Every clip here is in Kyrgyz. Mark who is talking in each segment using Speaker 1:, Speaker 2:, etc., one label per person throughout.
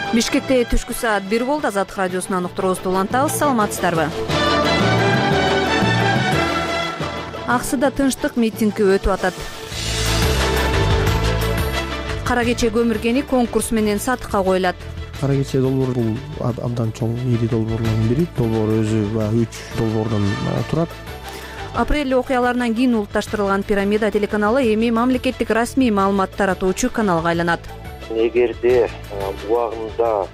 Speaker 1: Бишкекте түшкү саат 1 болду. Азаттык радиосунан уктуруубузду улантабыз. Саламатсыздарбы? Аксыда тынчтык митинги өтүп атат. Кара кече көмүргени конкурс менен сатыкка коюлат.
Speaker 2: Кара кече долбоор бул абдан чоң ири долбоорлордун бири. Долбоор өзү 3 долбоордон турат.
Speaker 1: Апрель окуяларынан кийин улутташтырылган Пирамида телеканалы эми мамлекеттик расмий маалымат таратуучу каналга айланат.
Speaker 3: Эгерде убагында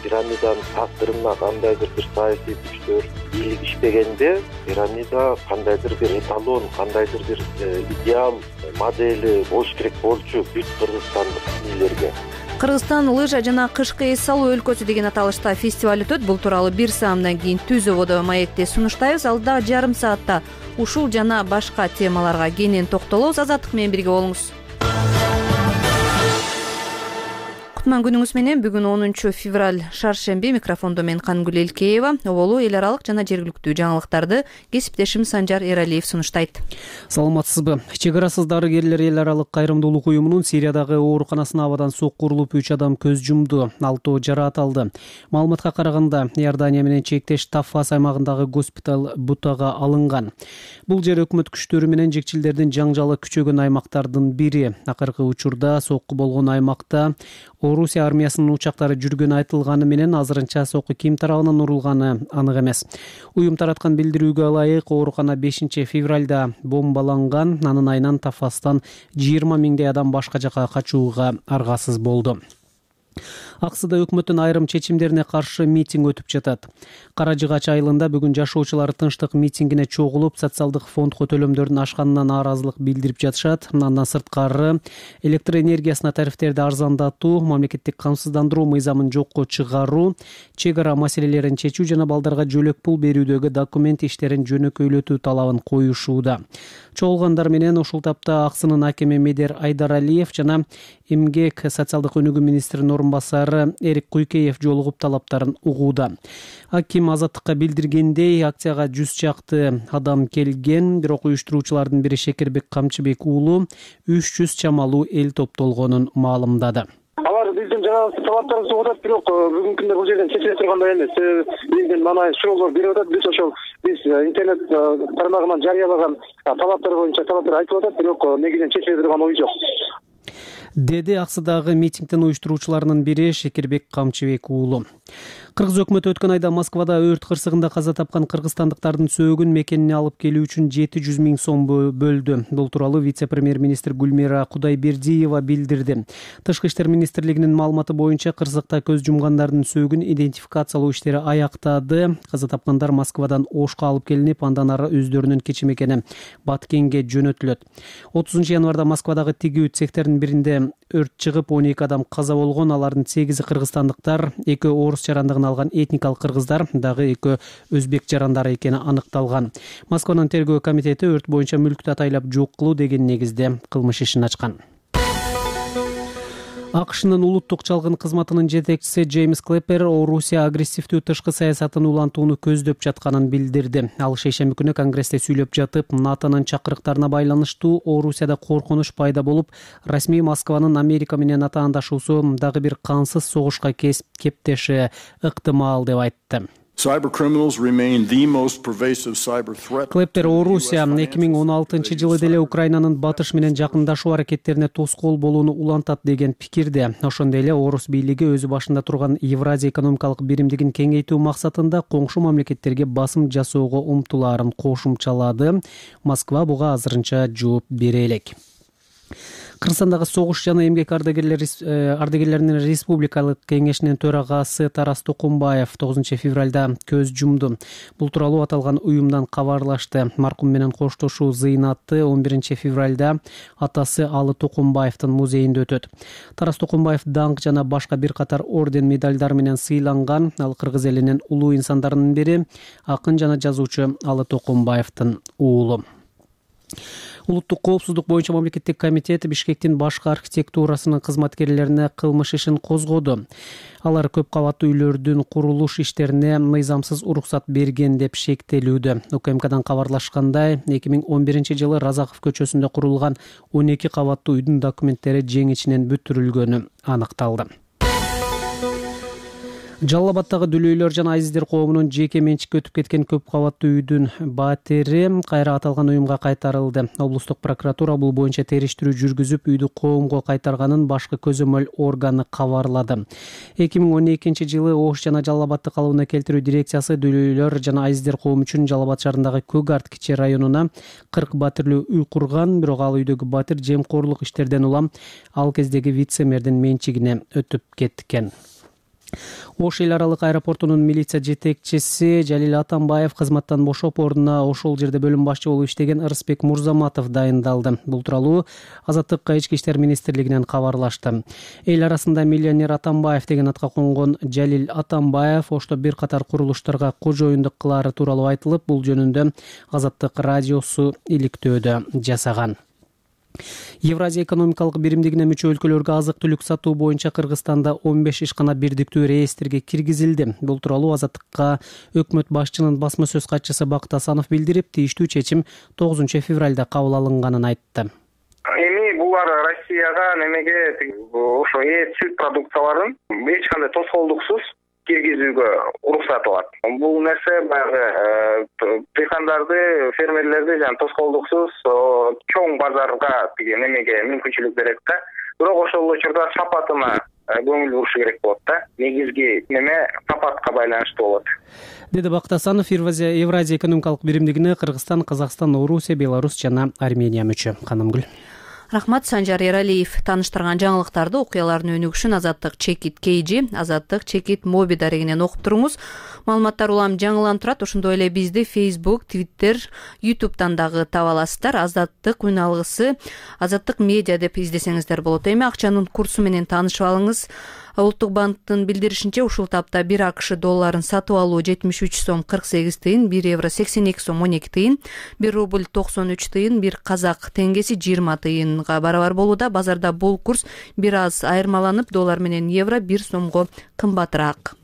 Speaker 3: Пирамиданын тактырына кандайдыр бир саясий күчтөр илигишпегенде, Пирамида кандайдыр бир эталон, кандайдыр бир идеал модели болуш керек болчу бүт кыргызстандык бийлерге.
Speaker 1: Кыргызстан лыжа жана кышкы эс салуу өлкөсү деген аталышта фестиваль өтөт. Бул тууралуу бир саамдан кийин Түз ободо маекте сунуштайбыз. Алдагы жарым саатта ушул жана башка темаларга кенен токтолобуз. Азаттык менен бирге болуңуз. Кутман күнүңүз менен. Бүгүн 10 февраль шаршемби. Микрофондо мен Кангүл Элкеева. Оболу эл аралык жана жергиликтүү жаңылыктарды кесиптешим Санжар Эралиев сунуштайт.
Speaker 4: Саламатсызбы? Чек арасыз дарыгерлер эл аралык кайрымдуулук уюмунун Сириядагы ооруканасына абадан соккурулуп 3 адам көз жумду, 6 жараат алды. Маалыматка караганда, Иордания менен чектеш Таффас аймагындагы госпиталь бутага алынган. Бул жер өкмөт күчтөрү менен жекчилдердин жаңжалы күчөгөн аймактардын бири. Акыркы учурда сокку болгон аймакта Орусия армиясынын учактары жүргөнү айтылганы менен азырынча сокку ким тарабынан урулганы анык эмес. Уюм тараткан билдирүүгө ылайык, оорукана 5 февралда бомбаланган. Анын айынан Тафастан 20 миңдей адам башка жака качууга аргасыз болду. Аксыда өкмөттүн айрым чечимдерине каршы митинг өтүп жатат. Кара Жыгач айылында бүгүн жашоочулар тынчтык митингине чогулуп, социалдык фондко төлөмдөрдүн ашканына нааразылык билдирип жатышат. Андан сырткары электр энергиясына тарифтерди арзандатуу, мамлекеттик камсыздандыруу мыйзамын жокко чыгаруу, чек ара маселелерин чечүү жана балдарга жөлөк пул берүүдөгү документ иштерин жөнөкөйлөтүү талабын коюшууда. Чогулгандар менен ушул тапта Аксынын акими Медер Айдаралиев жана эмгек социалдык өнүгүү министринин орун басары Эрик Куйкеев жолугуп талаптарын угууда. Аким Азаттыкка билдиргендей, акцияга 100 чакты адам келген, бирок уюштуруучулардын бири Шекербек Камчыбек уулу 300 чамалуу эл топтолгонун маалымдады.
Speaker 5: Алар биздин жанагы талаптарыбызды угат, бирок бүгүнкү күндө бул жерден чечиле тургандай эмес. Биздин мана шоолор берип атат, биз интернет тармагынан жарыялаган талаптар боюнча талаптар айтып атат, бирок негизинен чечиле турган ой жок.
Speaker 4: Деди Аксыдагы митингдин уюштуруучуларынын бири Шекербек Камчыбек уулу. Кыргыз өкмөтү өткөн айда Москвада өрт кырсыгында каза тапкан кыргызстандыктардын сөөгүн мекенине алып келүү үчүн 700 миң сом бөлдү. Бул тууралуу вице-премьер-министр Гүлмира Кудайбердиева билдирди. Тышкы иштер министрлигинин маалыматы боюнча кырсыкта көз жумгандардын сөөгүн идентификациялоо иштери аяктады. Каза тапкандар Москвадан Ошко алып келинип, андан ары өздөрүнүн кечи мекени Баткенге жөнөтүлөт. 30 январда Москвадагы тигүү цехтердин биринде өрт чыгып, 12 адам каза болгон. Алардын 8 кыргызстандыктар, 2 орус жарандыгын алган этникалык кыргыздар, дагы 2 өзбек жарандары экени аныкталган. Москванын тергөө комитети өрт боюнча мүлктү атайлап жок кылуу деген негизде кылмыш ишин ачкан. АКШнын улуттук чалгын кызматынын жетекчиси Джеймс Клэппер Орусия агрессивдүү тышкы саясатын улантууну көздөп жатканын билдирди. Ал шейшемби күнү Конгрессте сүйлөп жатып, НАТОнун чакырыктарына байланыштуу Орусияда коркунуч пайда болуп, расмий Москванын Америка менен атаандашуусу дагы бир кансыз согушка кептеши ыктымал деп айтты. Клэппер Орусия 2016 жылы деле Украинанын батыш менен жакындашуу аракеттерине тоскоол болууну улантат деген пикирде. Ошондой эле орус бийлиги өзү башында турган Евразия экономикалык биримдигин кеңейтүү максатында коңшу мамлекеттерге басым жасоого умтулаарын кошумчалады. Москва буга азырынча жооп бере элек. Кыргызстандагы согуш жана эмгек ардагерлеринин республикалык кеңешинин төрагасы Тарас Токумбаев 9 февралда көз жумду. Бул тууралуу аталган уюмдан кабарлашты. Маркум менен коштошуу зыйнаты 11 февралда атасы Алы Токумбаевдин музейинде өтөт. Тарас Токумбаев даңк жана башка бир катар орден медальдар менен сыйланган. Ал кыргыз элинин улуу инсандарынын бири, акын жана жазуучу Алы Токумбаевдин уулу. Улуттук коопсуздук боюнча мамлекеттик комитет Бишкектин башкы архитектурасынын кызматкерлерине кылмыш ишин козгоду. Алар көп кабаттуу үйлөрдүн курулуш иштерине мыйзамсыз уруксат берген деп шектелүүдө. УКМКдан кабарлашкандай, 2011 жылы Разаков көчөсүндө курулган 12 кабаттуу үйдүн документтери жең ичинен бүтүрүлгөнү аныкталды. Жалал Абаддагы дүлөйлөр жана азиздер коомунун жеке менчикке өтүп кеткен көп кабаттуу үйдүн батири кайра аталган уюмга кайтарылды. Облустук прокуратура бул боюнча териштирүү жүргүзүп, үйдү коомго кайтарганын башкы көзөмөл органы кабарлады. 2012-жылы Ош жана Жалал Абадды калыбына келтирүү дирекциясы дүлөйлөр жана азиздер коому үчүн Жалал Абад шаарындагы Көк Арт кичи районуна 40 батирлүү үй курган, бирок ал үйдөгү батир жемкорлук иштерден улам ал кездеги вице-мэрдин менчигине өтүп кеткен. Ош эл аралык аэропортунун милиция жетекчиси Жалил Атамбаев кызматтан бошоп, ордуна ошол жерде бөлүм башчы болуп иштеген Ырысбек Мурзаматов дайындалды. Бул тууралуу Азаттыкка Ички иштер министрлигинен кабарлашты. Эл арасында миллионер Атамбаев деген атка конгон Жалил Атамбаев Ошто бир катар курулуштарга кожоюндук кылаары тууралуу айтылып, бул жөнүндө Азаттык радиосу иликтөөдө жасаган. Евразия экономикалык биримдигине мүчө өлкөлөргө азык-түлүк сатуу боюнча Кыргызстанда 15 ишкана бирдиктүү реестрге киргизилди. Бул тууралуу Азаттыкка өкмөт башчынын басма сөз катчысы Бакыт Асанов билдирип, тийиштүү чечим 9 февралда кабыл алынганын айтты.
Speaker 6: Эми булар Россияга немеге ошо сүт продукцияларын эч кандай тоскоолдуксуз киргизүүгө уруксат алат. Бул нерсе баягы дыйкандарды, фермерлерди жана тоскоолдуксуз чоң базарга немеге мүмкүнчүлүк берет да. Бирок ошол учурда сапатына көңүл бурушу керек болот да. Негизги неме сапатка байланыштуу болот.
Speaker 4: Деди Бакыт Асанов. Евразия экономикалык биримдигине Кыргызстан, Казакстан, Орусия, Беларусь жана Армения мүчө. Канымгүл.
Speaker 1: Рахмат, Санжар Эралиев. Тааныштырган жаңылыктарды, окуялардын өнүгүшүн Азаттык Чекит KG, Азаттык Чекит Моби дарегинен окуп туруңуз. Маалыматтар улам жаңыланып турат. Ошондой эле бизди Facebook, Twitter, YouTube'дан дагы таба аласыздар. Азаттык үналгысы Азаттык медиа деп издесеңиздер болот. Эми акчанын курсу менен таанышып алыңыз. Улуттук банктын билдиришинче, ушул тапта 1 АКШ долларын сатып алуу 73 сом 48 тыйын, 1 евро 82 сом 12 тыйын, 1 рубль 93 тыйын, 1 казак теңгеси 20 тыйынга барабар болууда. Базарда бул курс бир аз айырмаланып, доллар менен евро 1 сомго кымбатыраак.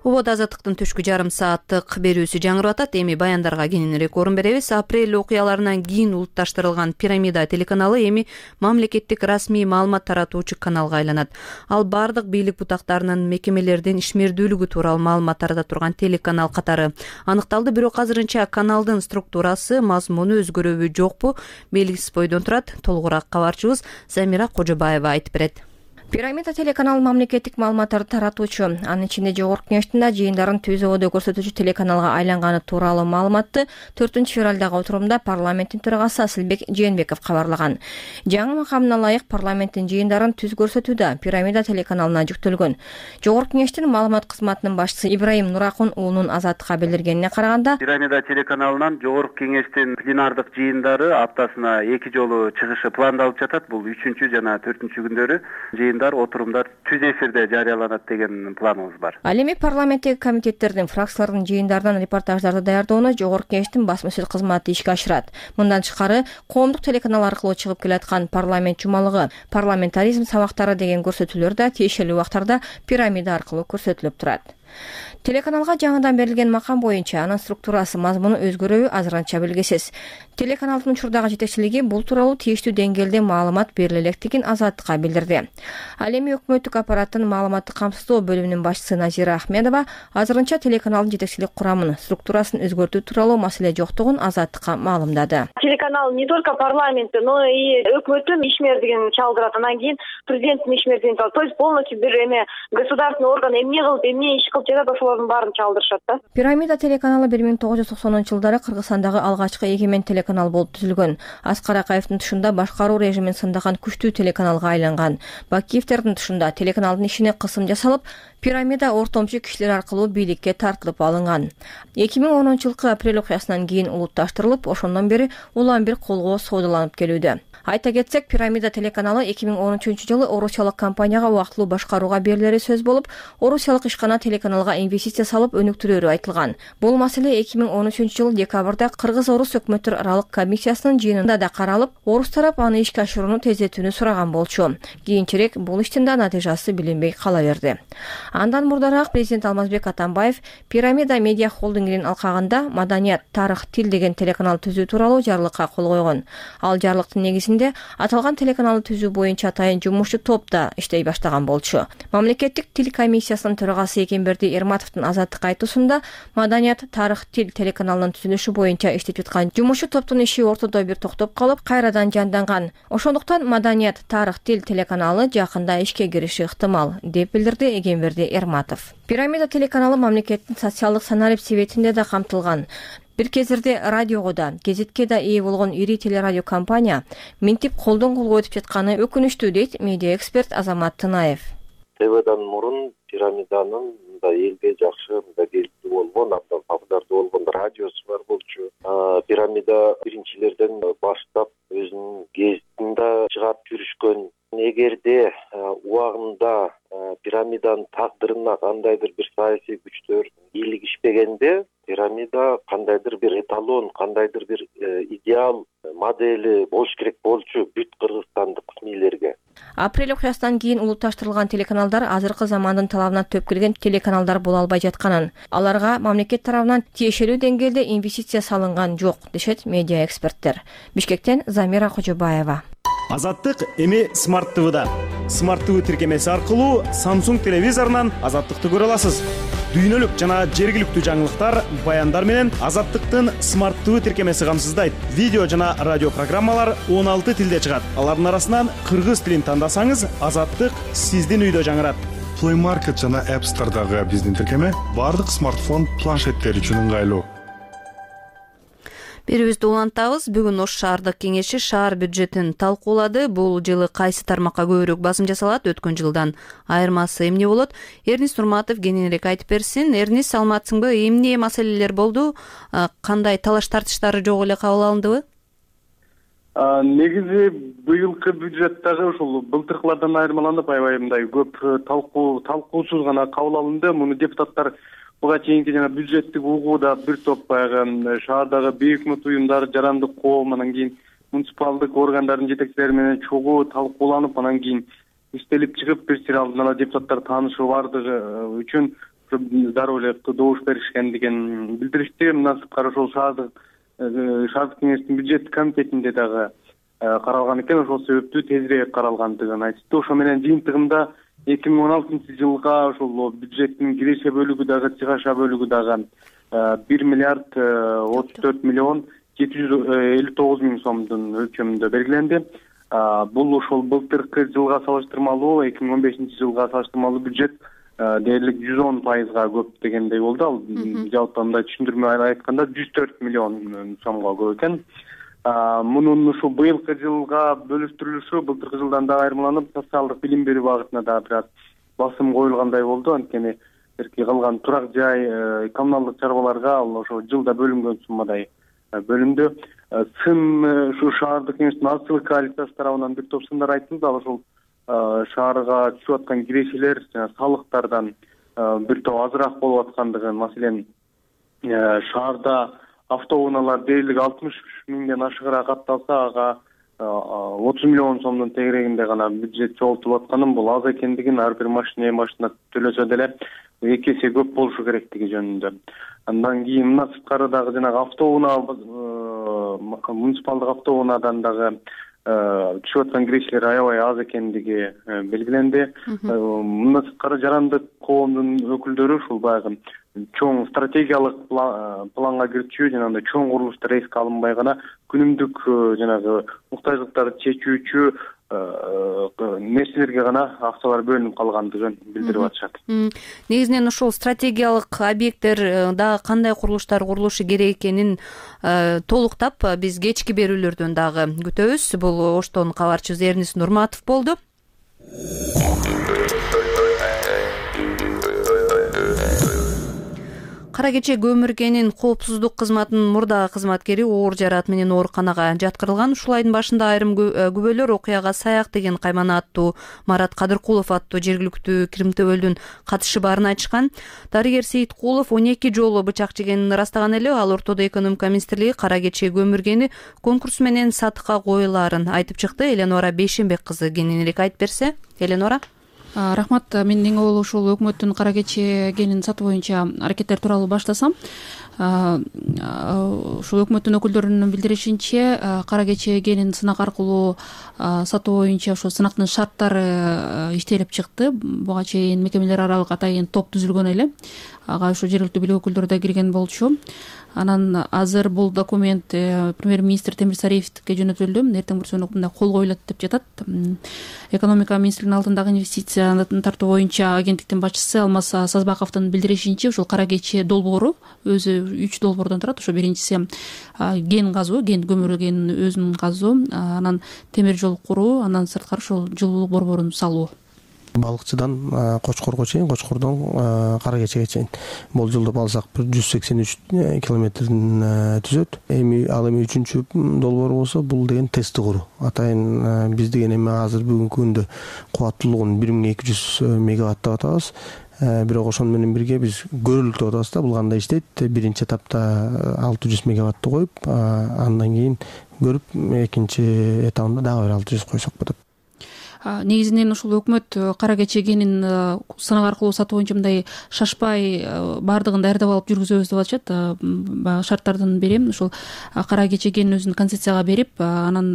Speaker 1: Убада Азаттыктын түшкү жарым сааттык берүүсү жаңырып атат. Эми баяндарга кененирээк орун беребиз. Апрель окуяларынан кийин улутташтырылган Пирамида телеканалы эми мамлекеттик расмий маалымат таратуучу каналга айланат. Ал бардык бийлик бутактарынын, мекемелердин ишмердүүлүгү тууралуу маалымат тарата турган телеканал катары аныкталды. Бирок азырынча каналдын структурасы, мазмуну өзгөрөбү жокпу белгисиз бойдон турат. Толугураак кабарчыбыз Замира Кожобаева айтып берет.
Speaker 7: Пирамида телеканал мамлекеттик маалыматтарды таратуучу, анын ичинде жогорку кеңештин жыйындарын түзүүдө көрсөтүүчү телеканалга айланганы тууралуу маалыматты 4 февралдагы отурумда парламенттин төрагасы Асылбек Жээнбеков кабарлаган. Жаңы макамына ылайык парламенттин жыйындарын түз көрсөтүүдө Пирамида телеканалына жүктөлгөн. Жогорку кеңештин маалымат кызматынын башчысы Ибраим Нуракун уулунун Азаттыкка билдиргенине караганда,
Speaker 8: Пирамида телеканалынан жогорку кеңештин пленардык жыйындары аптасына 2 жолу чыгышы пландалып жатат. Бул 3 жана 4 күндөрү отурумдар түз эфирде жарыяланат деген планыбыз бар.
Speaker 7: Ал эми парламенттеги комитеттердин, фракциялардын жыйындарынан репортаждарды даярдоону жогорку кеңештин басма сөз кызматы ишке ашырат. Мындан тышкары, коомдук телеканал аркылуу чыгып келаткан парламент жумалыгы, парламентаризм сабактары деген көрсөтүүлөр да тиешелүү убактарда Пирамида аркылуу көрсөтүлүп турат. Телеканалга жаңыдан берилген макам боюнча анын структурасы, мазмуну өзгөрөбү азырынча белгисиз. Телеканалдын учурдагы жетекчилиги бул тууралуу тийиштүү деңгээлде маалымат бериле электигин Азаттыкка билдирди. Ал эми өкмөттүк аппараттын маалыматтык камсыздоо бөлүмүнүн башчысы Назира Ахмедова азырынча телеканалдын жетекчилик курамын, структурасын өзгөртүү тууралуу маселе жоктугун Азаттыкка маалымдады.
Speaker 9: Телеканал не только парламентте, но и өкмөттүн ишмердигин чалдырат. Анан кийин президенттин ишмердигин чалдырат. То есть полностью бир государственный орган эмне кылып, эмне иш кылып жатат, ошолордун баарын чалдырышат да.
Speaker 7: Пирамида телеканалы 1990-жылдары Кыргызстандагы алгачкы эгемен телеканал болуп түзүлгөн. Аскар Акаевдин тушунда башкаруу режимин сындаган күчтүү телеканалга айланган. Бакиевдердин тушунда телеканалдын ишине кысым жасалып, Пирамида ортомчу кишилер аркылуу бийликке тартылып алынган. 2010-жылкы апрель окуясынан кийин улутташтырылып, ошондон бери улам бир колго соодаланып келүүдө. Айта кетсек, Пирамида телеканалы 2013-жылы орусиялык компанияга убактылуу башкарууга берилери сөз болуп, орусиялык ишкана телеканалга инвестиция инвестиция салып өнүктүрөөрү айтылган. Бул маселе 2013-жылы декабрда Кыргыз-Орус өкмөттөр аралык комиссиясынын жыйынында да каралып, Орус тарап аны ишке ашырууну тездетүүнү сураган болчу. Кийинчерээк бул иштин да натыйжасы билинбей кала берди. Андан мурдараак президент Алмазбек Атамбаев Пирамида медиа холдингинин алкагында Маданият, тарых, тил деген телеканал түзүү тууралуу жарлыкка кол койгон. Ал жарлыктын негизинде аталган телеканалды түзүү боюнча атайын жумушчу топ да иштей баштаган болчу. Мамлекеттик тил комиссиясынын төрагасы Экенберди Эрматовдун Азаттыкка айтуусунда Маданият, тарых, тил телеканалынын түзүлүшү боюнча иштеп жаткан жумушчу топтун иши ортодо бир токтоп калып, кайрадан жанданган. Ошондуктан Маданият, тарых, тил телеканалы жакында ишке кириши ыктымал, деп билдирди Экенберди Эрматов. Пирамида телеканалы мамлекеттин социалдык саналип себетинде да камтылган. Бир кездерде радиого да, гезитке да ээ болгон ири телерадио компания минтип колдон колго өтүп жатканы өкүнүчтүү, дейт медиа эксперт Азамат Тынаев.
Speaker 3: ТВдан мурун пирамиданын элге жакшы келиптүү болгон, абдан популярдуу болгон радиосу бар болчу. Пирамида биринчилерден баштап өзүнүн гезитин да чыгарып жүрүшкөн. Эгерде убагында пирамиданын тагдырына кандайдыр бир саясий күчтөр бийлигишпегенде, пирамида кандайдыр бир эталон, кандайдыр бир идеал модели болуш керек болчу бүт кыргызстандык мийлерге.
Speaker 7: Апрель окуясынан кийин улутташтырылган телеканалдар азыркы замандын талабына төп келген телеканалдар боло албай жатканын, аларга мамлекет тарабынан тиешелүү деңгээлде инвестиция салынган жок, дешет медиа эксперттер. Бишкектен Замира Кожобаева.
Speaker 10: Азаттык эми Смарт ТВда. Смарт ТВ тиркемеси аркылуу Samsung телевизорунан Азаттыкты көрө аласыз. Дүйнөлүк жана жергиликтүү жаңылыктар, баяндар менен Азаттыктын Смарт ТВ тиркемеси камсыздайт. Видео жана радио программалар 16 тилде чыгат. Алардын арасынан кыргыз тилин тандасаңыз, Азаттык сиздин үйдө жаңырат.
Speaker 11: Play Market жана App Store'дагы биздин тиркеме бардык смартфон, планшеттер үчүн ыңгайлуу.
Speaker 1: Берүүбүздү улантабыз. Бүгүн Ош шаардык кеңеши шаар бюджетин талкуулады. Бул жылы кайсы тармакка көбүрөөк басым жасалат, өткөн жылдан айырмасы эмне болот? Эрнис Нурматов кененирээк айтып берсин. Эрнис, саламатсыңбы? Эмне маселелер болду? Кандай талаш тартыштары жок эле кабыл алындыбы?
Speaker 12: Негизи быйылкы бюджет дагы ушул былтыркылардан айырмаланып аябай мындай көп талкуусуз гана кабыл алынды. Муну депутаттар буга чейинки жана бюджеттик угууда бир топ баягы шаардагы бейөкмөт уюмдар, жарандык коом, анан кийин муниципалдык органдардын жетекчилери менен чогуу талкууланып, анан кийин иштелип чыгып, бир сир алдын ала депутаттар таанышуу бардыгы үчүн дароо эле добуш беришкендигин билдиришти. Мындан сырткары ошол шаардык кеңештин бюджет комитетинде дагы каралган экен, ошол себептүү тезирээк каралгандыгын айтышты. Ошо менен жыйынтыгында 2016-жылга ошол бюджеттин киреше бөлүгү дагы, чыгаша бөлүгү дагы 1 миллиард 34 миллион 759 миң сомдун өлчөмүндө белгиленди. Бул ошол былтыркы жылга салыштырмалуу, 2015-жылга салыштырмалуу бюджет дээрлик 110%га көп дегендей болду. Ал жалпы мындай түшүндүрмө айтканда 104 миллион сомго көп экен. Мунун ушул быйылкы жылга бөлүштүрүлүшү былтыркы жылдан да айырмаланып, социалдык билим берүү багытына да бир аз басым коюлгандай болду. Анткени калган турак жай, коммуналдык чарбаларга ал ошо жылда бөлүнгөн суммадай бөлүндү. Ушу шаардык кеңештин ачылык коалициясы тарабынан бир топ сындар айтылды. Ал ошол шаарга түшүп аткан кирешелер жана салыктардан бир топ азыраак болуп аткандыгын, маселен шаарда автоунаалар дээрлик 60 миңден ашыгыраак катталса, ага 30 миллион сомдун тегерегинде гана бюджет чогултуп атканын, бул аз экендигин, ар бир машина төлөсө деле 2 эсе көп болушу керектиги жөнүндө. Андан кийин мына сырткары дагы жанагы автоунаа, муниципалдык автоунаадан дагы түшүп аткан кирешелер аябай аз экендиги белгиленди. Мына сырткары жарандык коомдун өкүлдөрү ушул баягы чоң стратегиялык планга кирчү, жанагындай чоң курулуштар эске алынбай гана күнүмдүк жанагы муктаждыктарды чечүүчү нерселерге гана акчалар бөлүнүп калгандыгын билдирип атышат.
Speaker 1: Негизинен ушул стратегиялык объекттер дагы кандай курулуштар курулушу керек экенин толуктап биз кечки берүүлөрдөн дагы күтөбүз. Бул Оштон кабарчыбыз Эрнис Нурматов болду. Кара кече көмүргенин коопсуздук кызматынын мурдагы кызматкери оор жараат менен ооруканага жаткырылган. Ушул айдын башында айрым күбөлөр окуяга Саяк деген каймана аттуу Марат Кадыркулов аттуу жергиликтүү кирмтөбөлдүн катышы баарын айтышкан. Дарыгер Сейиткулов 12 жолу бычак жегенин ырастаган эле. Ал ортодо экономика министрлиги кара кече көмүргени конкурс менен сатыкка коюлаарын айтып чыкты. Эленора Бейшенбек кызы кененирээк айтып берсе. Эленора.
Speaker 13: Рахмат. Мен эң аввал ушул өкмөттүн кара кече генин сатуу боюнча аракеттер тууралуу баштасам. Ушул өкмөттүн өкүлдөрүнүн билдиришинче, кара кече генин сынак аркылуу сатуу боюнча ошо сынактын шарттары иштелип чыкты. Буга чейин мекемелер аралык атайын топ түзүлгөн эле. Ага ошо жергиликтүү бийлик өкүлдөрү да кирген болчу. Анан азыр бул документ премьер-министр Темир Сариевке жөнөтүлдү. Эртең бүрсүн мындай кол коюлат деп жатат. Экономика министринин алдындагы инвестицияны тартуу боюнча агенттиктин башчысы Алмаз Сазбаковдун билдиришинче, ушул кара кече долбоору өзү 3 долбоордон турат. Ошо биринчиси ген казуу, ген көмүргенин өзүн казуу, анан темир жол куруу, анан сырткары ушул жылуулук борборун салуу.
Speaker 2: Балыкчыдан Кочкорго чейин, Кочкордон кара кечеге чейин болжолдоп алсак 183 километрин түзөт. Ал эми 3-чү долбоор болсо, бул деген тесттик куруу. Атайын биз деген эми азыр бүгүнкү күндө кубаттуулугун 1200 мегаватт деп атабыз. Бирок ошону менен бирге биз көрүлүк деп атабыз да. Бул кандай иштейт? Биринчи этапта 600 мегаваттты коюп, андан кийин көрүп, экинчи этабында дагы бир 600 койсок болот.
Speaker 13: Негизинен ушул өкмөт кара кече генин сынак аркылуу сатуу боюнча мындай шашпай баардыгын даярдап алып жүргүзөбүз деп атышат. Баягы шарттардын бири ушул кара кече генин өзүн концессияга берип, анан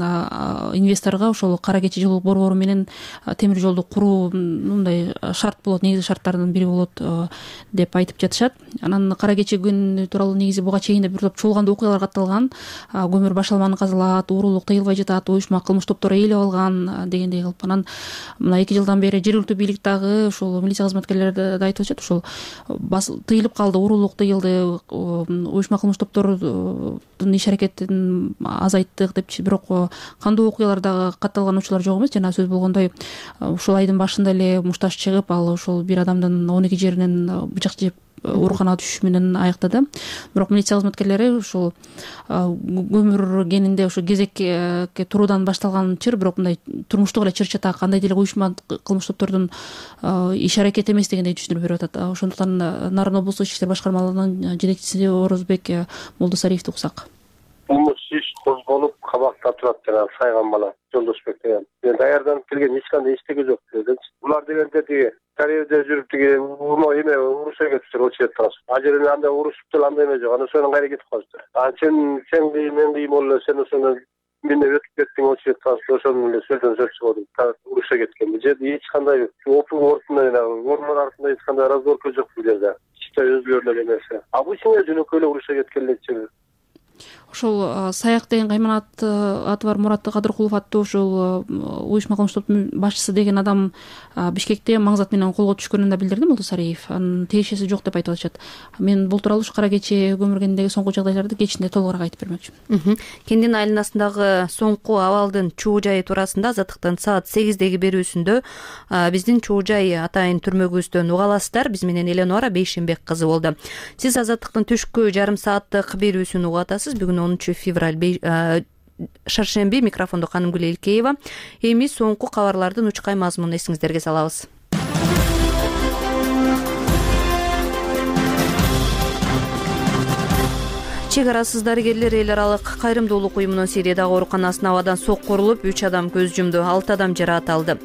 Speaker 13: инвесторго ошол кара кече жылуулук борбору менен темир жолду куруу мындай шарт болот, негизи шарттардын бири болот деп айтып жатышат. Анан кара кече ген тууралуу негизи буга чейин да бир топ чуулгандуу окуялар катталган. Көмүр башалманы казылат, уурулук тыйылбай жатат, уюшма кылмыш топтор ээлеп алган дегендей кылып. Анан мына 2 жылдан бери жергиликтүү бийлик дагы ушул милиция кызматкерлери да айтып атышат, ушул тыйылып калды, уурулук тыйылды, уюшма кылмыш топтордун иш аракетин азайттык деп. Бирок кандуу окуялар дагы катталган учурлар жок эмес. Жана сөз болгондой, ушул айдын башында эле мушташ чыгып, ал ушул бир адамдын 12 жеринен бычак жеп ооруканага түшүш менен аяктады. Бирок милиция кызматкерлери ушул көмүр генинде ошо кезекке туруудан башталган чыр, бирок мындай турмуштук эле чыр-чатак, кандай деле уюшма кылмыш топтордун иш аракети эмес дегендей түшүндүрүп берип атат. Ошондуктан Нарын облустук ички иштер башкармалыгынын жетекчиси Орозбек Молдосариевди уксак.
Speaker 14: Кылмыш иш козголуп кабакта турат жана Сайган бала Жолдошбек деген. Даярданып келген эч кандай иштеги жок дединчи. Булар дегенде тиги Карьерде жүрүп тиги эме урушка кетиптир, очеттир. Ажерин андай урушуптур, андай эме жок. Аны сонун кайра кетип калыптыр. Сен мен кийим болду, сен ошону менде өтүп кеттиң, очеттир. Ошону эле сөздөн сөз чыгып урушка кеткен. Бул жерде эч кандай опун ортунда, ормон артында эч кандай разборка жок бул жерде. Чисто өзгөрүнөн эмес. Обычный жөнөкөй эле урушка кеткен эле.
Speaker 13: Ошол Саяк деген каймана аты бар Мурат Кадыркулов аттуу ошол уюшма кылмыш топтун башчысы деген адам Бишкекте маңзат менен колго түшкөнүн да билдирди Молдосариев. Анын тиешеси жок деп айтып атышат. Мен бул тууралуу кара кече көмүргениндеги соңку жагдайларды кечинде толугураак айтып бермөкчүмүн.
Speaker 1: Кендин айланасындагы соңку абалдын чуу жайы туурасында Азаттыктын саат 8деги берүүсүндө биздин чуу жай атайын түрмөгүбүздөн уга аласыздар. Биз менен Эленора Бейшенбек кызы болду. Сиз Азаттыктын түшкү жарым сааттык берүүсүн угуп атасыз. Бүгүн 10 февраль шаршемби. Микрофондо Канымгүл Элкеева. Эми соңку кабарлардын учкай мазмунун эсиңиздерге салабыз. Чек арасыз дарыгерлер эл аралык кайрымдуулук уюмунун Сириядагы ооруканасына абадан соккурулуп 3 адам көз жумду, 6 адам жараат алды.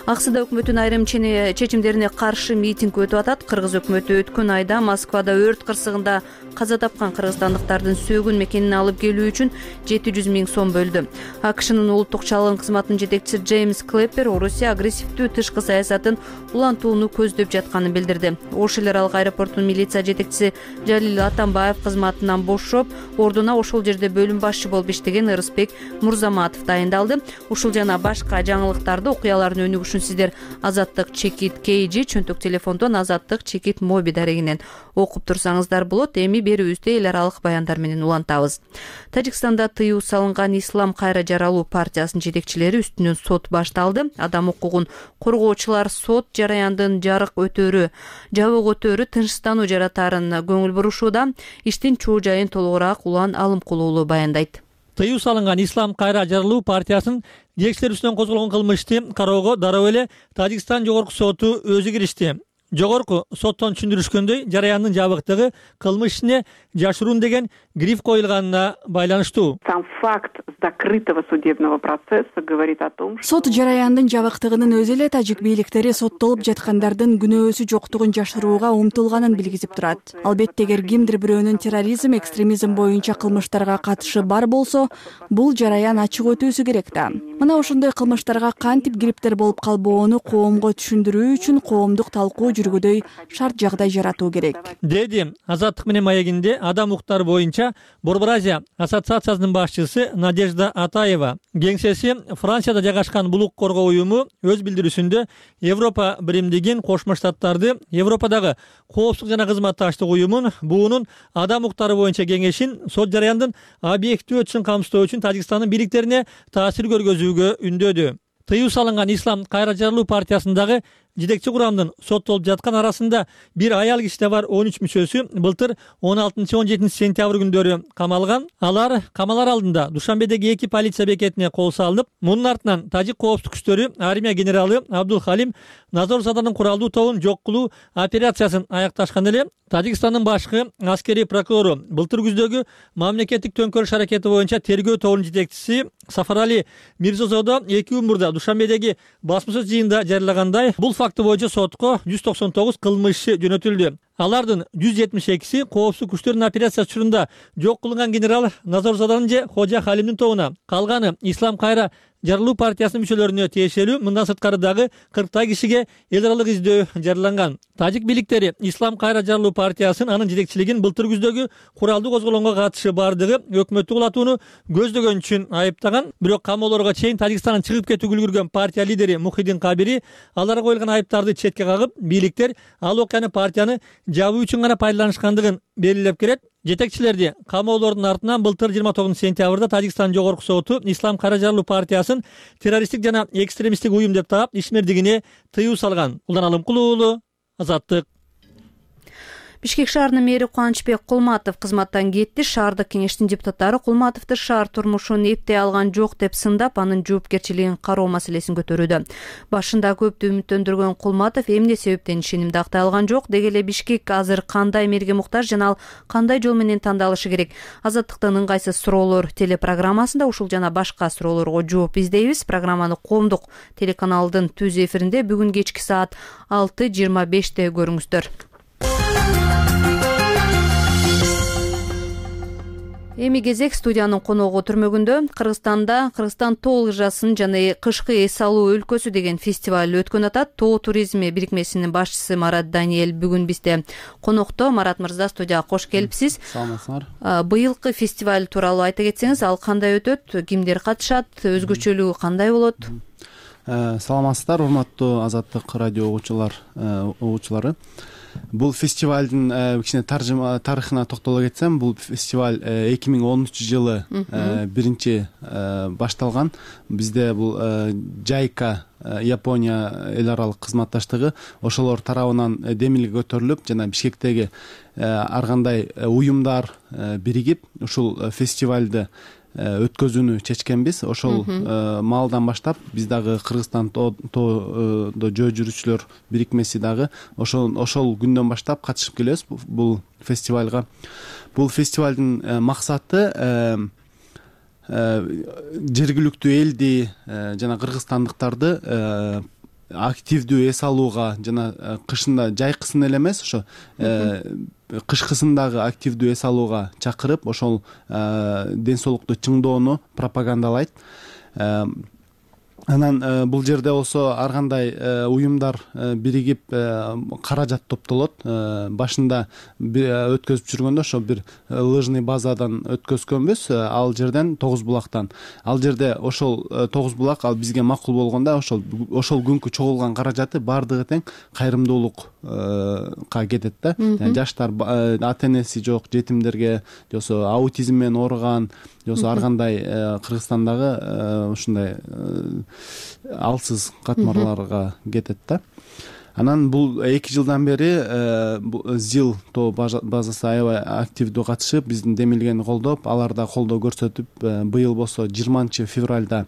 Speaker 1: Аксыда өкмөттүн айрым чечимдерине каршы митинг өтүп атат. Кыргыз өкмөтү өткөн айда Москвада өрт кырсыгында каза тапкан кыргызстандыктардын сөөгүн мекенине алып келүү үчүн 700 000 сом бөлдү. АКШнын улуттук чалгын кызматынын жетекчиси Джеймс Клеппер Орусия агрессивдүү тышкы саясатын улантууну көздөп жатканын билдирди. Ош эл аралык аэропортунун милиция жетекчиси Жалил Атамбаев кызматынан бошоп, ордуна ошол жерде бөлүм башчы болуп иштеген Ырысбек Мурзаматов дайындалды. Ушул жана башка жаңылыктарды окуялардын өнүгүшүн үчүн сиздер Азаттык чекит KG чөнтөк телефондон Азаттык чекит моби дарегинен окуп турсаңыздар болот. Эми берүүбүздө эл аралык баяндар менен улантабыз. Тажикстанда тыюу салынган Ислам кайра жаралуу партиясынын жетекчилери үстүнөн сот башталды. Адам укугун коргоочулар сот жараяндын жабык өтөөрү тынчстануу жаратаарын көңүл бурушууда. Иштин чоо жайын толугураак Улан Алымкулуулу баяндайт.
Speaker 15: Тыюу салынган Ислам кайра жаралуу партиясынын жетекчилери үстүнөн козголгон кылмышты кароого дароо эле Тажикстан жогорку соту өзү киришти. Жогорку соттон түшүндүрүшкөндөй, жараяндын жабыктыгы кылмыш ишине жашыруун деген гриф коюлганына байланыштуу.
Speaker 16: Сам факт закрытого судебного процесса говорит о том,
Speaker 17: сот жараяндын жабыктыгынын өзү эле тажик бийликтери соттолуп жаткандардын күнөөсү жоктугун жашырууга умтулганын билгизип турат. Албетте, эгер кимдир бирөөнүн терроризм, экстремизм боюнча кылмыштарга катышы бар болсо, бул жараян ачык өтүүсү керек да. Мына ошондой кылмыштарга кантип кириптер болуп калбоону коомго түшүндүрүү үчүн коомдук талкуу жүргүдөй шарт жагдай жаратуу керек,
Speaker 15: деди Азаттык менен маегинде адам укуктары боюнча Борбор Азия ассоциациясынын башчысы Надежда Атаева. Кеңсеси Францияда жайгашкан бул укук коргоо уюму өз билдирүүсүндө Европа биримдигин, Кошмо Штаттарды, Европадагы коопсуздук жана кызматташтык уюмун, буунун адам укуктары боюнча кеңешин сот жараяндын объективдүү өтүшүн камсыздоо үчүн Тажикстандын бийликтерине таасир көргөзүүгө үндөдү. Тыюу салынган Ислам кайра жаралуу партиясындагы жетекчи курамдын соттолуп жаткан арасында бир аял киши да бар. 13 мүчөсү былтыр 16-17 сентябрь күндөрү камалган. Алар камалар алдында Душанбедеги 2 полиция бекетине кол салынып, мунун артынан тажик коопсуздук күчтөрү армия генералы Абдул Халим Назорзаданын куралдуу тобун жок кылуу операциясын аякташкан эле Тажикстандын башкы аскерий прокурору былтыр күздөгү мамлекеттик төңкөрүш аракети боюнча тергөө тобунун жетекчиси Сафарали Мирзозодо 2 күн мурда Душанбедеги басма сөз жыйынында жарыягандай, бул факты боюнча сотко 199 кылмыш иши жөнөтүлдү. Алардын 172си коопсуздук күчтөрдүн операциясы учурунда жок кылынган генерал Назорзаданын же Хожа Халимдин тобуна, калганы Ислам кайра жаралуу партиясынын мүчөлөрүнө тиешелүү. Мындан сырткары дагы 40 кишиге эл аралык издөө жарыяланган. Тажик бийликтери Ислам кайра жаралуу партиясын, анын жетекчилигин былтыр күздөгү куралдуу козголоңго катышы бардыгы өкмөттү кулатууну көздөгөн үчүн айыптаган. Бирок камоолорго чейин Тажикстандан чыгып кетүүгө үлгүргөн партия лидери Мухиддин Кабири аларга коюлган айыптарды четке кагып, бийликтер ал окуяны партияны жабуу үчүн гана пайдаланышкандыгын белгилеп келет. Жетекчилерди камоолордун артынан былтыр 29 сентябрда Тажикстан жогорку соту Ислам кайра жаралуу партиясын террористтик жана экстремисттик уюм деп таап ишмердигине тыюу салган. Улан Алымкулуулу, Азаттык.
Speaker 1: Бишкек шаарынын мэри Кубанычбек Кулматов кызматтан кетти. Шаардык кеңештин депутаттары Кулматовду шаар турмушун эптей алган жок деп сындап, анын жоопкерчилигин кароо маселесин көтөрүүдө. Башында көптү үмүттөндүргөн Кулматов эмне себептен ишенимди актай алган жок, деги эле Бишкек азыр кандай мэрге муктаж жана ал кандай жол менен тандалышы керек? Азаттыктын ыңгайсыз суроолор телепрограммасында ушул жана башка суроолорго жооп издейбиз. Программаны коомдук телеканалдын түз эфиринде бүгүн кечки саат 6:25 көрүңүздөр. Эми кезек студиянын коногу түрмөгүндө. Кыргызстан тоо лыжасын жана кышкы эс алуу өлкөсү деген фестиваль өткөн атат. Тоо туризми бирикмесинин башчысы Марат Даниэль бүгүн бизде конокто. Марат мырза, студияга кош келипсиз.
Speaker 18: Саламатсыңар.
Speaker 1: Быйылкы фестиваль тууралуу айта кетсеңиз, ал кандай өтөт, кимдер катышат, өзгөчөлүгү кандай болот?
Speaker 18: Саламатсыздар, урматтуу Азаттык радио угуучулары. Бул фестивалдын кичине тарыхына токтоло кетсем, бул фестиваль 2013 жылы биринчи башталган. Бизде бул Жайка Япония эл аралык кызматташтыгы ошолор тарабынан демилге көтөрүлүп, жана Бишкектеги ар кандай уюмдар биригип ушул фестивалды өткөзүүнү чечкенбиз. Ошол маалдан баштап биз дагы Кыргызстан тоодо жөө жүрүүчүлөр бирикмеси дагы ошол күндөн баштап катышып келебиз бул фестивалга. Бул фестивалдын максаты жергиликтүү элди жана кыргызстандыктарды активдүү эс алууга жана кышында жайкысын эле эмес, ошо кышкысындагы активдүү эс алууга чакырып, ошол ден соолукту чыңдоону пропагандалайт. Анан бул жерде болсо ар кандай уюмдар биригип каражат топтолот. Башында өткөзүп жүргөндө ошо бир лыжный базадан өткөзгөнбүз, ал жерден Тогуз булактан. Ал жерде ошол Тогуз булак ал бизге макул болгондо ошол күнкү чогулган каражаты баардыгы тең кайрымдуулукка кетет да. Жаштар ата энеси жок жетимдерге, же болбосо аутизм менен ооруган, же болбосо ар кандай Кыргызстандагы ушундай алсыз катмарларга кетет да. Анан бул 2 жылдан бери ЗИЛ тоо базасы аябай активдүү катышып, биздин демилгени колдоп, алар да колдоо көрсөтүп, быйыл болсо 20 февралда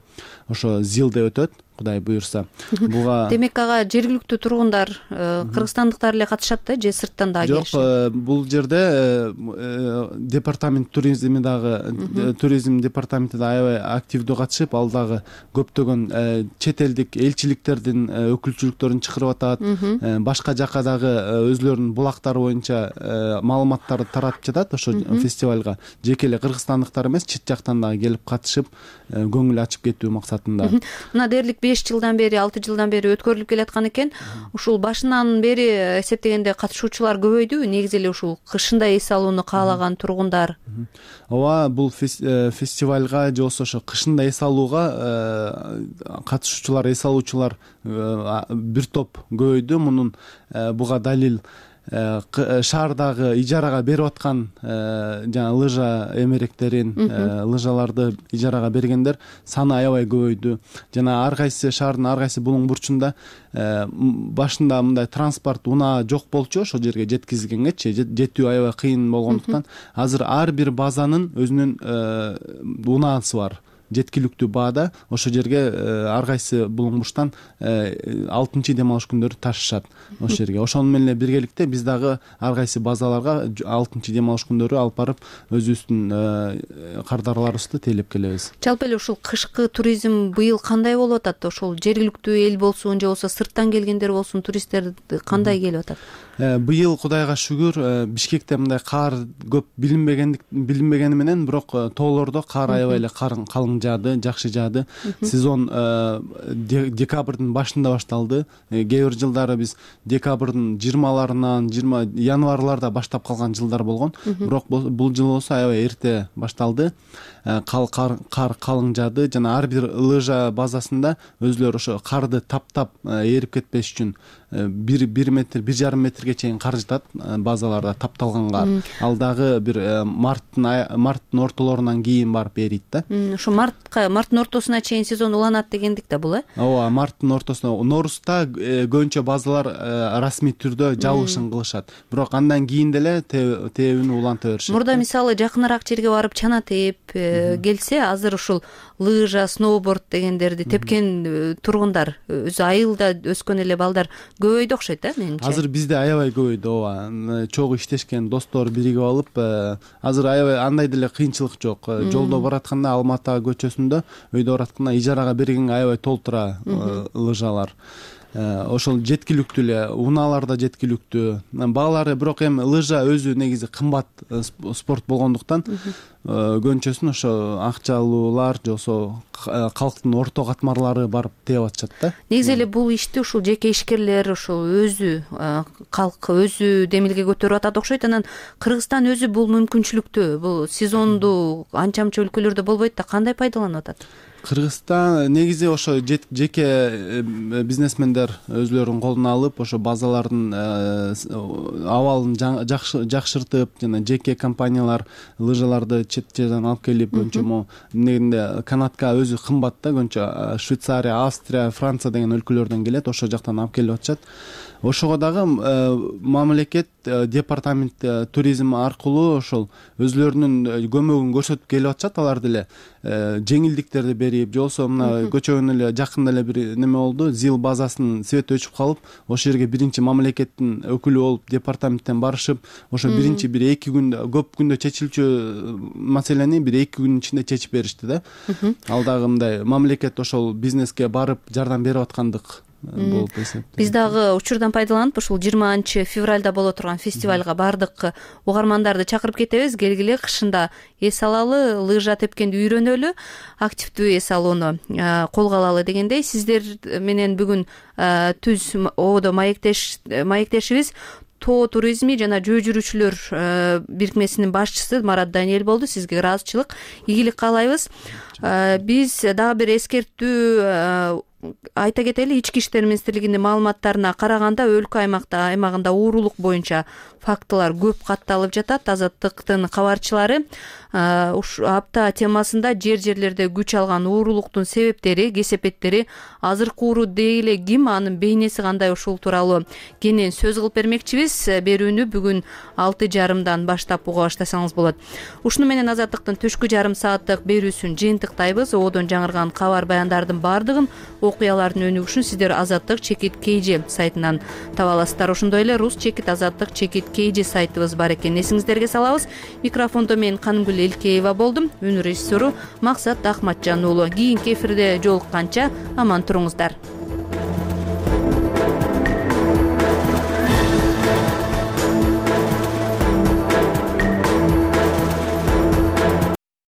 Speaker 18: ошо ЗИЛде өтөт, Кудай буюрса. Буга
Speaker 1: демек ага жергиликтүү тургундар, кыргызстандыктар эле катышат да, же сырттан дагы келишет?
Speaker 18: Жок, бул жерде департамент туризм департаменти да аябай активдүү катышып, ал дагы көптөгөн чет элдик элчиликтердин өкүлчүлүктөрүн чакырып атат. Башка жака дагы өзлөрүнүн булактары боюнча маалыматтарды таратып жатат ошо фестивалга. Жеке эле кыргызстандыктар эмес, чет жактан дагы келип катышып, көңүл ачып кетүү максатында.
Speaker 1: Мына дээрлик 5 жылдан бери, 6 жылдан бери өткөрүлүп келаткан экен. Ушул башынан бери эсептегенде катышуучулар көбөйдүбү? Негизи эле ушул кышында эс алууну каалаган тургундар.
Speaker 18: Ооба, бул фестивалга же болбосо ошо кышында эс алууга катышуучулар, эс алуучулар бир топ көбөйдү. Мунун буга далил шаардагы ижарага берип аткан жана лыжа эмеректерин, лыжаларды ижарага бергендер саны аябай көбөйдү. Жана ар кайсы шаардын ар кайсы булуң бурчунда башында мындай транспорт унаа жок болчу, ошол жерге жеткизилгенгечи жетүү аябай кыйын болгондуктан азыр ар бир базанын өзүнүн унаасы бар. Жеткиликтүү баада ошол жерге ар кайсы булуң бурчтан 6 дем алыш күндөрү ташышат ошол жерге. Ошону менен биргеликте биз дагы ар кайсы базаларга 6 дем алыш күндөрү алып барып өзүбүздүн кардарларыбызды тейлеп келебиз.
Speaker 1: Жалпы эле ушул кышкы туризм быйыл кандай болуп атат? Ошол жергиликтүү эл болсун, же болбосо сырттан келгендер болсун, туристтер кандай келип атат?
Speaker 18: Быйыл Кудайга шүгүр, Бишкекте мындай кар көп билинбегени менен, бирок тоолордо кар аябай эле калың жаады, жакшы жаады. Сезон декабрдын башында башталды. Кээ бир жылдары биз декабрдын 20-ларынан, январларда баштап калган жылдар болгон. Бирок бул жыл болсо аябай эрте башталды. Кар калың жаады жана ар бир лыжа базасында өзлөрү ошо карды таптап эрип кетпеш үчүн 1 метр, 1,5 метрге чейин кар жатат базаларда, тапталган кар. Ал дагы бир марттын ортолорунан кийин барып эрийт да.
Speaker 1: Ошо марттын ортосуна чейин сезон уланат дегендик да бул,
Speaker 18: Ооба, марттын ортосуна. Норузда көбүнчө базалар расмий түрдө жабылышын кылышат. Бирок андан кийин деле тебин уланта беришет.
Speaker 1: Мурда мисалы жакыныраак жерге барып чана тээп келсе, азыр ушул лыжа, сноуборд дегендерди тепкен тургундар, өзү айылда өскөн эле балдар көбөйдү окшойт, менимче.
Speaker 18: Азыр бизде аябай көбөйдү, ооба. Чогуу иштешкен достор биригип алып, азыр аябай андай деле кыйынчылык жок. Жолдо баратканда Алматы көчөсүндө өйдө баратканда ижарага бергенге аябай толтура лыжалар. Ошол жеткиликтүү эле, унаалар да жеткиликтүү. Баалары бирок эми лыжа өзү негизи кымбат спорт болгондуктан көбүнчөсүн ошо акчалуулар же болбосо калктын орто катмарлары барып тээп атышат да.
Speaker 1: Негизи эле бул ишти ушул жеке ишкерлер ошол өзү калк өзү демилге көтөрүп атат окшойт. Анан Кыргызстан өзү бул мүмкүнчүлүктү, бул сезонду анча-мынча өлкөлөрдө болбойт да, кандай пайдаланып атат?
Speaker 18: Кыргызстан негизи ошо жеке бизнесмендер өзлөрүнүн колуна алып, ошо базалардын абалын жакшыртып, жана жеке компаниялар лыжаларды чет жерден алып келип, көбүнчө негинде канатка өзү кымбат да, көбүнчө Швейцария, Австрия, Франция деген өлкөлөрдөн келет, ошол жактан алып келип атышат. Ошого дагы мамлекет департамент туризм аркылуу ошол өзлөрүнүн көмөгүн көрсөтүп келип атышат. Алар деле жеңилдиктерди берип, же болбосо мына көчөгөн эле жакында эле бир неме болду, ЗИЛ базасынын свети өчүп калып, ошол жерге биринчи мамлекеттин өкүлү болуп департаменттен барышып, ошо биринчи бир 2 күндө, көп күндө чечилчү маселени бир 2 күнүн ичинде чечип беришти да. Ал дагы мындай мамлекет ошол бизнеске барып жардам берип аткандык болуп эсептейм.
Speaker 1: Биз дагы учурдан пайдаланып ушул 20-февралда боло турган фестивалга баардык угармандарды чакырып кетебиз. Келгиле, кышында эс алалы, лыжа тепкенди үйрөнөлү, активдүү эс алууну колго алалы дегендей. Сиздер менен бүгүн түз ободо маектешибиз тоо туризми жана жөө жүрүүчүлөр бирикмесинин башчысы Марат Даниэль болду. Сизге ыраазычылык, ийгилик каалайбыз. Биз дагы бир эскертүү айта кетели. Ички иштер министрлигинин маалыматтарына караганда өлкө аймагында уурулук боюнча фактылар көп катталып жатат. Азаттыктын кабарчылары ушу апта темасында жерлерде күч алган уурулуктун себептери, кесепеттери, азыркы ууруу дей эле ким, анын бейнеси кандай, ушул тууралуу кенен сөз кылып бермекчибиз. Берүүнү бүгүн 6:30 баштап уга баштасаңыз болот. Ушуну менен Азаттыктын түшкү жарым сааттык берүүсүн жыйынтыктайбыз. Ободон жаңырган кабар баяндардын баардыгын, окуялардын өнүгүшүн сиздер Азаттык чекит KG сайтынан таба аласыздар. Ошондой эле рус чекит Азаттык чекит KG сайтыбыз бар экен. Эсиңиздерге салабыз. Микрофондо мен Канымгүл Элкеева болдум. Үнү режиссеру Максат Ахматжан уулу. Кийинки эфирде жолукканча аман туруңуздар.